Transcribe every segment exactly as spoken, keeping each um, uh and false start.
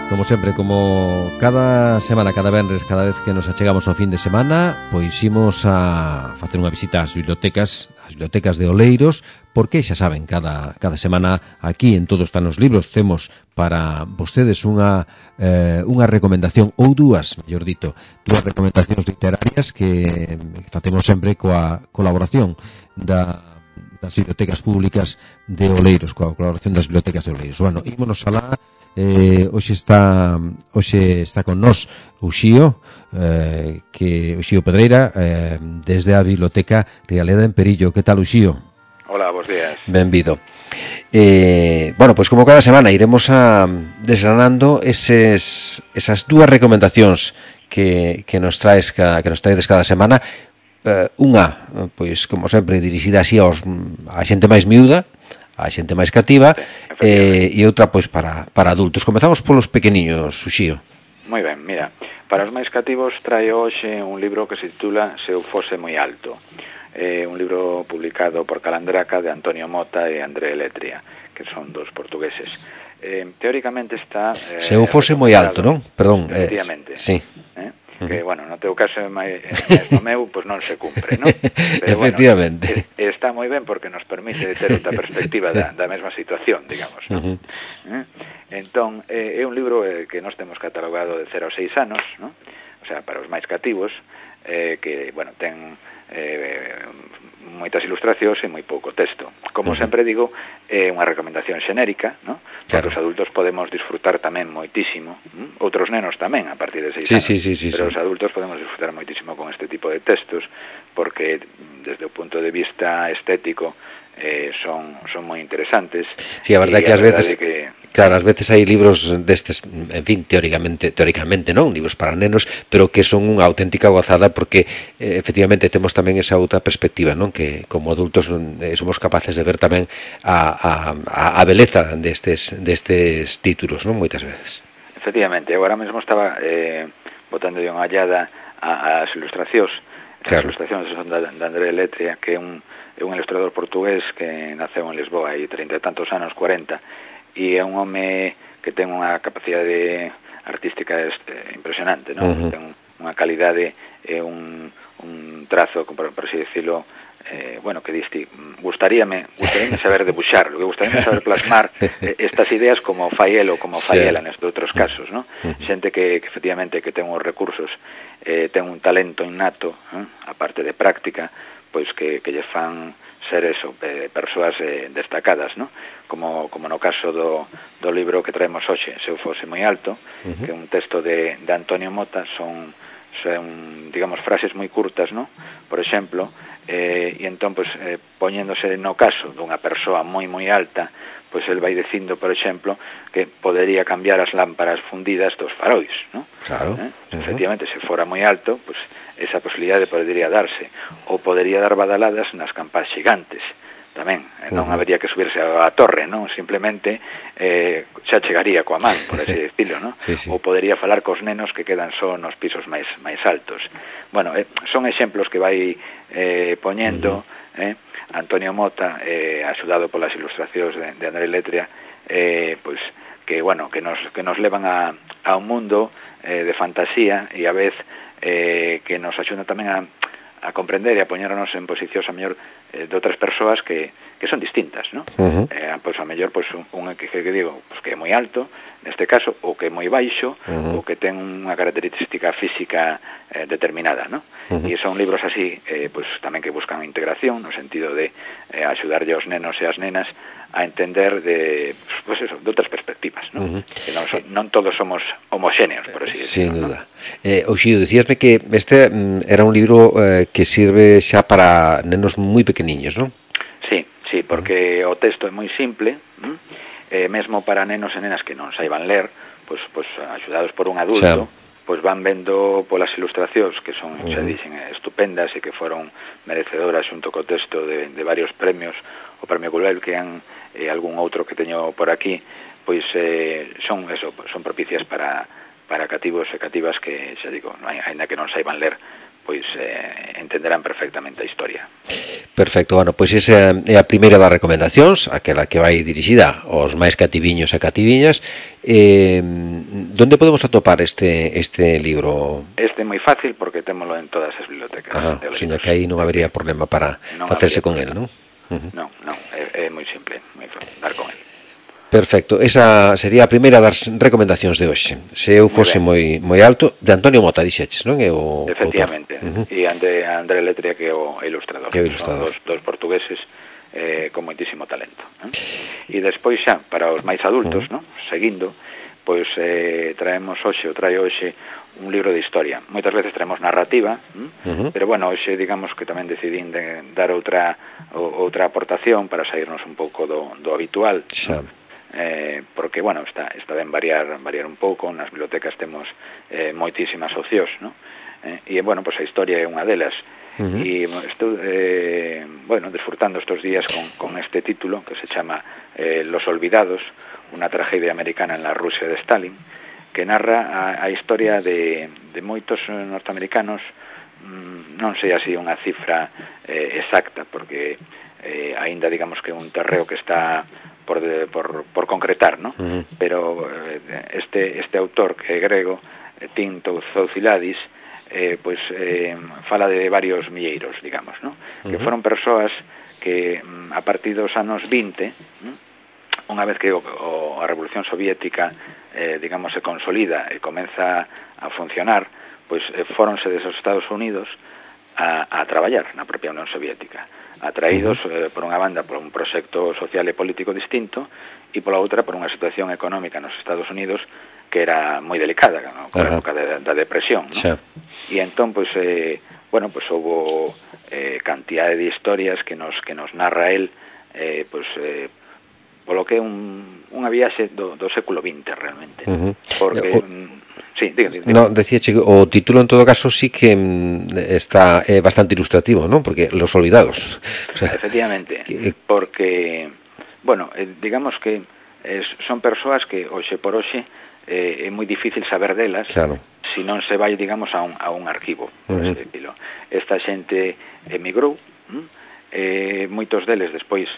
Como sempre, como cada semana, cada venres, cada vez que nos achegamos ao fin de semana, pois imos a facer unha visita ás bibliotecas, ás bibliotecas de Oleiros, porque xa saben, cada, cada semana aquí en Todo Están os Libros temos para vostedes unha, eh, unha recomendación, ou dúas, mellor dito, dúas recomendacións literarias que facemos sempre coa colaboración da das bibliotecas públicas de Oleiros, coa colaboración das bibliotecas de Oleiros. Bueno, ímonos alá. Eh, hoxe está hoxe está con nós o Xío, eh, que o Xío Pedreira, eh, desde a Biblioteca Rialeda en Perillo. Que tal, o Xío? Hola, bons días. Benvido. Eh, bueno, pois pues como cada semana iremos a desgranando eses, esas dúas recomendacións que, que nos traes cada, que nos traedes cada semana. Eh, unha, pois como sempre, dirixida así aos, a xente máis miúda, a xente máis cativa, sí, eh, e outra pois para, para adultos. Comezamos polos pequeniños, Uxío. Moi ben, mira, para os máis cativos traio hoxe un libro que se titula Se eu fose moi alto. É un libro publicado por Calandraca de Antonio Mota e André Letria, que son dos portugueses. Eh, teóricamente está... Eh, Se eu fose moi alto, non? Perdón. Efectivamente. Eh, sí. Eh? Que, bueno, no teu caso é máis no meu, pois non se cumpre, non? Pero, efectivamente. Bueno, está moi ben porque nos permite ter outra perspectiva da, da mesma situación, digamos, non? Uh-huh. Eh? Entón, eh, é un libro eh, que nós temos catalogado de cero a seis anos, non? O sea, para os máis cativos, eh, que, bueno, ten eh, moitas ilustracións e moi pouco texto. Como uh-huh. sempre digo, é unha recomendación xenérica, non? Porque claro, os adultos podemos disfrutar tamén moitísimo, ¿m? Outros nenos tamén a partir de seis sí, anos, sí, sí, sí, pero sí. os adultos podemos disfrutar moitísimo con este tipo de textos, porque desde o punto de vista estético eh, son son moi interesantes. Sí, a verdade que ás veces que... claro, ás veces hai libros destes, en fin, teóricamente, teóricamente non, libros para nenos, pero que son unha auténtica gozada porque eh, efectivamente temos tamén esa outra perspectiva, non? Que como adultos eh, somos capaces de ver tamén a, a, a beleza destes destes títulos, non? Moitas veces. Efectivamente, agora mesmo estaba eh, botando unha hallada ás ilustracións. As claro. ilustracións son da, da André Letria, que é un é un ilustrador portugués que naceu en Lisboa hai trinta e tantos anos, cuarenta, e é un home que ten unha capacidade artística este, impresionante, non? Uh-huh. Ten unha calidade e un, un trazo, por, por así decirlo, eh, bueno, que diste, gustaríame, gustaríame saber debuxar, que gustaríame saber plasmar eh, estas ideas como fai el ou como fai ela nestes outros casos, non? Uh-huh. Xente que, que efectivamente que ten os recursos, eh, ten un talento innato, eh, aparte de práctica, pois que, que lle fan ser eso, eh, persoas eh, destacadas, ¿no? Como, como no caso do, do libro que traemos hoxe, Se eu fose moi alto, uh-huh. que é un texto de, de Antonio Mota, son, son, digamos, frases moi curtas, ¿no? Por exemplo, eh, e entón, pues, eh, poñéndose no caso dunha persoa moi, moi alta, pois el vai dicindo, por exemplo, que podería cambiar as lámparas fundidas dos farois, ¿no? Claro. Eh? Uh-huh. Efectivamente, se fora moi alto, pois esa posibilidade podería darse, ou podería dar badaladas nas campás xigantes tamén, eh, non uh-huh. habería que subirse á torre, non? Simplemente eh, xa chegaría coa man, por así decirlo, non? Sí, sí. Ou podería falar cos nenos que quedan só nos pisos máis máis altos. Bueno, eh, son exemplos que vai eh, poñendo uh-huh. eh, Antonio Mota, eh, axudado polas ilustracións de, de André Letria, eh, pois que, bueno, que nos, que nos levan a, a un mundo eh, de fantasía e a vez eh, que nos axuda tamén a, a comprender e a poñernos en posicións a mellor eh, de outras persoas que, que son distintas, ¿no? Uh-huh. Eh, pois a mellor pois un, un que, que digo, pois que é moi alto, neste caso, ou que é moi baixo, uh-huh. ou que ten unha característica física eh, determinada, ¿no? Uh-huh. E son libros así, eh, pois tamén que buscan a integración, no sentido de eh, axudarlle aos nenos e as nenas a entender de, pues eso, de outras perspectivas, ¿no? Uh-huh. Que non, son, non todos somos homogéneos, por así decirlo. Sin duda. ¿No? Eh, Oxío, decíasme que este mm, era un libro eh, que sirve xa para nenos moi pequeniños, non? Sí, sí, porque uh-huh. o texto é moi simple, eh, mesmo para nenos e nenas que non saiban ler, pois, pois axudados por un adulto, xa. Pois van vendo polas ilustracións que son, uh-huh. xa dixen, estupendas e que foron merecedoras xunto co texto de, de varios premios, o Premio Gulbenkian e algún outro que teño por aquí, pois eh, son eso, son propicias para, para cativos e cativas que, xa digo, aínda que non saiban ler, pois eh, entenderán perfectamente a historia. Perfecto, bueno, pois esa é a primeira das recomendacións, aquela que vai dirixida aos máis cativiños e cativiñas. Eh, donde podemos atopar este este libro? Este é moi fácil porque témolo en todas as bibliotecas. Ah, seña que aí non habería problema para non facerse con el, non? Uh-huh. Non, non, é, é moi simple, moi fácil dar con el. Perfecto, esa sería a primeira das recomendacións de hoxe. Se eu fose moi moi alto, de Antonio Mota, dixeches, non? É o efectivamente, uh-huh. E André, André Letria, que é o ilustrador. Que é o ilustrador. Son dos, dos portugueses eh, con moitísimo talento. Eh? E despois xa, para os máis adultos, uh-huh. non? Seguindo, pois eh, traemos hoxe, ou trae hoxe, un libro de historia. Moitas veces traemos narrativa, uh-huh. pero bueno, hoxe digamos que tamén decidín de dar outra outra aportación para sairnos un pouco do, do habitual. Xa. Eh, porque, bueno, está, está ben variar, variar un pouco. Nas bibliotecas temos eh, moitísimas opcións, ¿no? Eh, e, bueno, pues a historia é unha delas. Uh-huh. E estou, eh, bueno, disfrutando estos días con, con este título que se chama eh, Los Olvidados, unha tragedia americana en la Rusia de Stalin, que narra a, a historia de, de moitos norteamericanos. mm, non sei así unha cifra eh, exacta, porque eh, aínda digamos que é un terreo que está por, de, por, por concretar, ¿no? Uh-huh. Pero eh, este, este autor que é grego, Tim Zouzouladis, eh, pues, eh, fala de varios milleiros, digamos, ¿no? Uh-huh. Que foron persoas que a partir dos anos vinte, unha vez que o, o, a Revolución Soviética eh, digamos se consolida e comeza a funcionar, pois eh, foronse desos Estados Unidos a, a traballar na propia Unión Soviética, atraídos eh, por unha banda por un proxecto social e político distinto, e pola outra por unha situación económica nos Estados Unidos que era moi delicada, ¿no? Con a época da, da depresión, ¿no? Sí. E entón, pois, eh, bueno, pois houbo eh, cantidade de historias que nos que nos narra el, eh, pois, eh, polo que é un, unha viaxe do, do século vinte realmente. Uh-huh. Porque... O... Sí, diga, diga. No, decía, chico, o título en todo caso sí que mm, está eh, bastante ilustrativo, ¿no? Porque Los Olvidados. O sea, efectivamente, que... porque, bueno, eh, digamos que eh, son persoas que, hoxe por hoxe, eh, é moi difícil saber delas, claro, se non se vai, digamos, a un, a un arquivo, por uh-huh. decirlo. Esta xente emigrou, hm? eh, moitos deles despois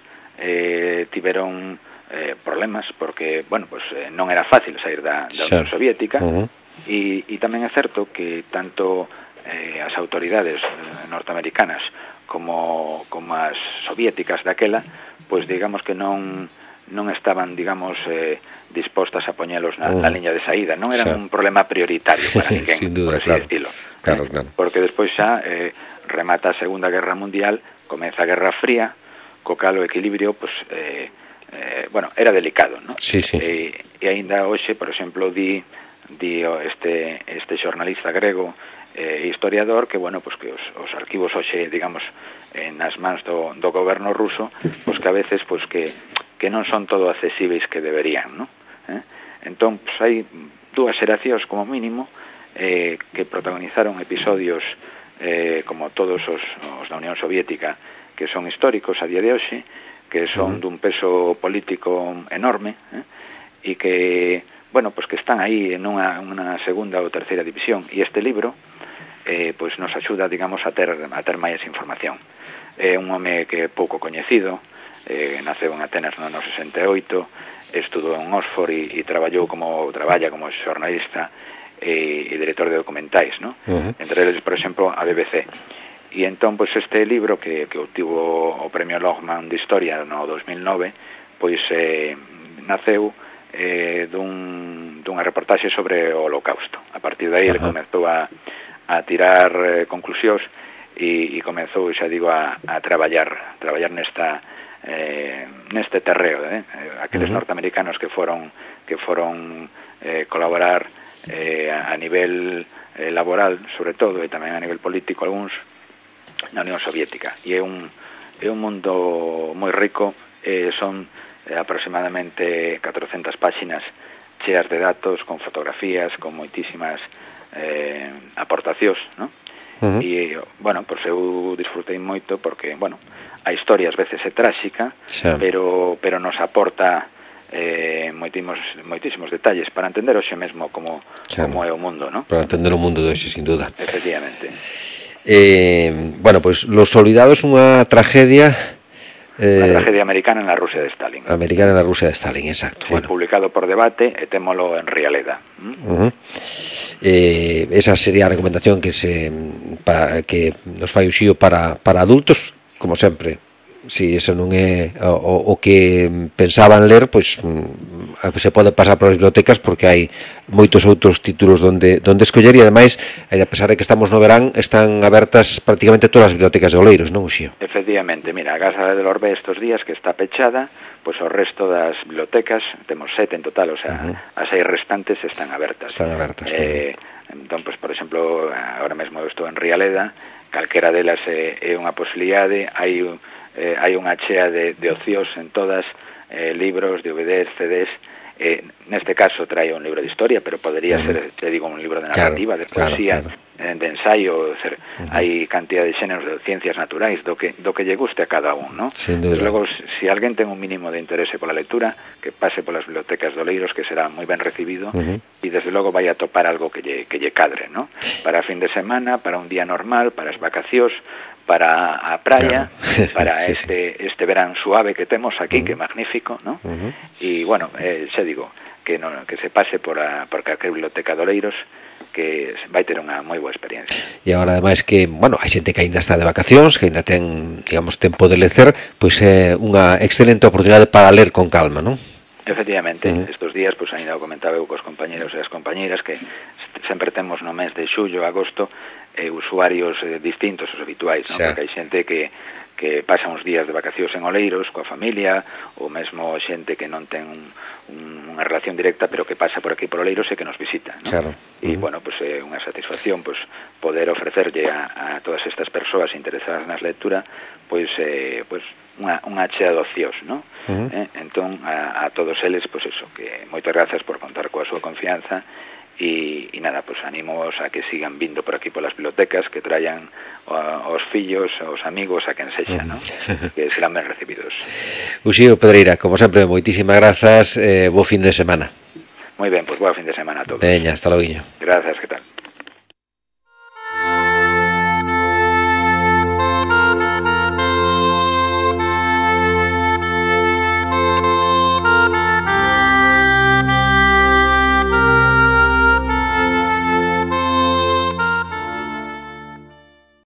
eh, tiveron eh, problemas, porque, bueno, pues, eh, non era fácil sair da, da Unión Soviética, uh-huh. e, e tamén é certo que tanto eh, as autoridades norteamericanas como, como as soviéticas daquela, pois digamos que non non estaban, digamos, eh, dispostas a poñelos na, uh. na liña de saída. Non era un problema prioritario para ninguén, sin duda, por así claro. decirlo. Claro, eh, claro. Porque despois xa eh, remata a Segunda Guerra Mundial, comeza a Guerra Fría, co cal o equilibrio, pues, eh, eh, bueno, era delicado, ¿no? Sí, sí. E, e aínda hoxe, por exemplo, di, di este, este xornalista grego e eh, historiador que, bueno, pues que os, os arquivos hoxe, digamos, eh, nas mans do, do goberno ruso, pues que a veces, pues que que non son todo accesíveis que deberían, ¿no? Eh? Entón, pues, hai dúas xeracións como mínimo eh, que protagonizaron episodios eh, como todos os, os da Unión Soviética, que son históricos a día de hoxe, que son uh-huh. dun peso político enorme, eh? e que, bueno, pues que están aí en unha, unha segunda ou terceira división, e este libro eh, pues nos axuda, digamos, a ter, a ter máis información. É un home que é pouco coñecido, eh, naceu en Atenas no ano sesenta e oito, estudou en Oxford e, e traballou como traballa como xornalista e, e director de documentais, ¿no? Uh-huh. Entre eles, por exemplo, a B B C. E entón, pois, este libro que, que obtivo o Premio Lockman de Historia no dos mil nove, pois eh, naceu eh, dun, dunha reportaxe sobre o Holocausto. A partir de aí, uh-huh. ele comezou a, a tirar eh, conclusións e, e comezou, xa digo, a, a traballar, traballar nesta eh, neste terreo, eh? Aqueles uh-huh. norteamericanos que foron que foron eh, colaborar eh, a nivel eh, laboral, sobre todo, e tamén a nivel político, algúns na Unión Soviética. E é un, é un mundo moi rico, eh, son eh, aproximadamente catrocentas páxinas cheas de datos, con fotografías, con moitísimas eh, aportacións, ¿no? Uh-huh. E, bueno, pois eu disfrutei moito porque, bueno, a historia ás veces é tráxica, sí. pero pero nos aporta eh, moitísimos, moitísimos detalles para entender hoxe mesmo como, sí. como é o mundo, ¿no? Para entender o mundo de hoxe, sin duda. Efectivamente. Eh, bueno, pois pues, Los Olvidados, unha tragedia... Eh, Unha tragedia americana na Rusia de Stalin. Americana na Rusia de Stalin, exacto. Sí, bueno. Publicado por Debate e témolo en Rialeda. ¿Mm? Uh-huh. Eh, esa sería a recomendación que se pa, que nos fai o Xío para, para adultos, como sempre. Si eso non é o, o que pensaban ler, pois se pode pasar polas bibliotecas, porque hai moitos outros títulos donde donde escoller, e ademais, a pesar de que estamos no verán, están abertas prácticamente todas as bibliotecas de Oleiros, non, Xío? Efectivamente, mira, a Casa del Orbe estes días que está pechada, pois o resto das bibliotecas, temos sete en total, o sea, uh-huh. as seis restantes están abertas. Están abertas. Eh, entón, pois, por exemplo, agora mesmo estou en Rialeda, calquera delas é, é unha posibilidade, hai Eh, hai unha chea de, de ocios en todas, eh, libros, D V Ds, C Ds, eh, neste caso trae un libro de historia, pero podría uh-huh. ser, te digo, un libro de narrativa, claro, de poesía, claro, claro. Eh, de ensayo, ser, uh-huh. hai cantidad de xéneros de ciencias naturais, do que, do que lle guste a cada un, ¿no? Desde logo, se si alguén ten un mínimo de interese pola lectura, que pase polas bibliotecas de Oleiros, que será moi ben recibido, uh-huh. e desde logo vai a topar algo que lle, que lle cadre, ¿no? Para fin de semana, para un día normal, para as vacacións, para a praia, claro. para sí, este sí. este verán suave que temos aquí, uh-huh. que é magnífico, ¿no? Uh-huh. E, bueno, eh, xa digo, que no, que se pase por a por calquer biblioteca de Oleiros, que vai ter unha moi boa experiencia. E agora, ademais, que, bueno, hai xente que aínda está de vacacións, que aínda ten, digamos, tempo de lecer, pois é unha excelente oportunidade para ler con calma, non? Efectivamente, uh-huh. estes días, pois, ainda o comentaba eu cos compañeros e as compañeiras, que sempre temos no mes de xullo, agosto, eh, usuarios eh, distintos os habituais, non? Porque hai xente que que pasa uns días de vacacións en Oleiros coa familia, ou mesmo xente que non ten un, un, unha relación directa, pero que pasa por aquí por Oleiros e que nos visita, non? Claro. E, uh-huh. bueno, pues é eh, unha satisfacción, pues, poder ofrecerlle a, a todas estas persoas interesadas nas lectura, pois, eh, pues, unha, unha chea de ocios, non? Uh-huh. Eh, entón, a, a todos eles, pois pues eso, que moitas grazas por contar coa súa confianza. E, e nada, pues animos a que sigan vindo por aquí polas bibliotecas, que traian os fillos, os amigos, a quen sexa, ¿no? Que serán ben recibidos. Uxío Pedreira, como sempre, moitísimas grazas, eh, bo fin de semana. Moi ben, pues boa fin de semana a todos. Veña, hasta logo. Grazas, que tal?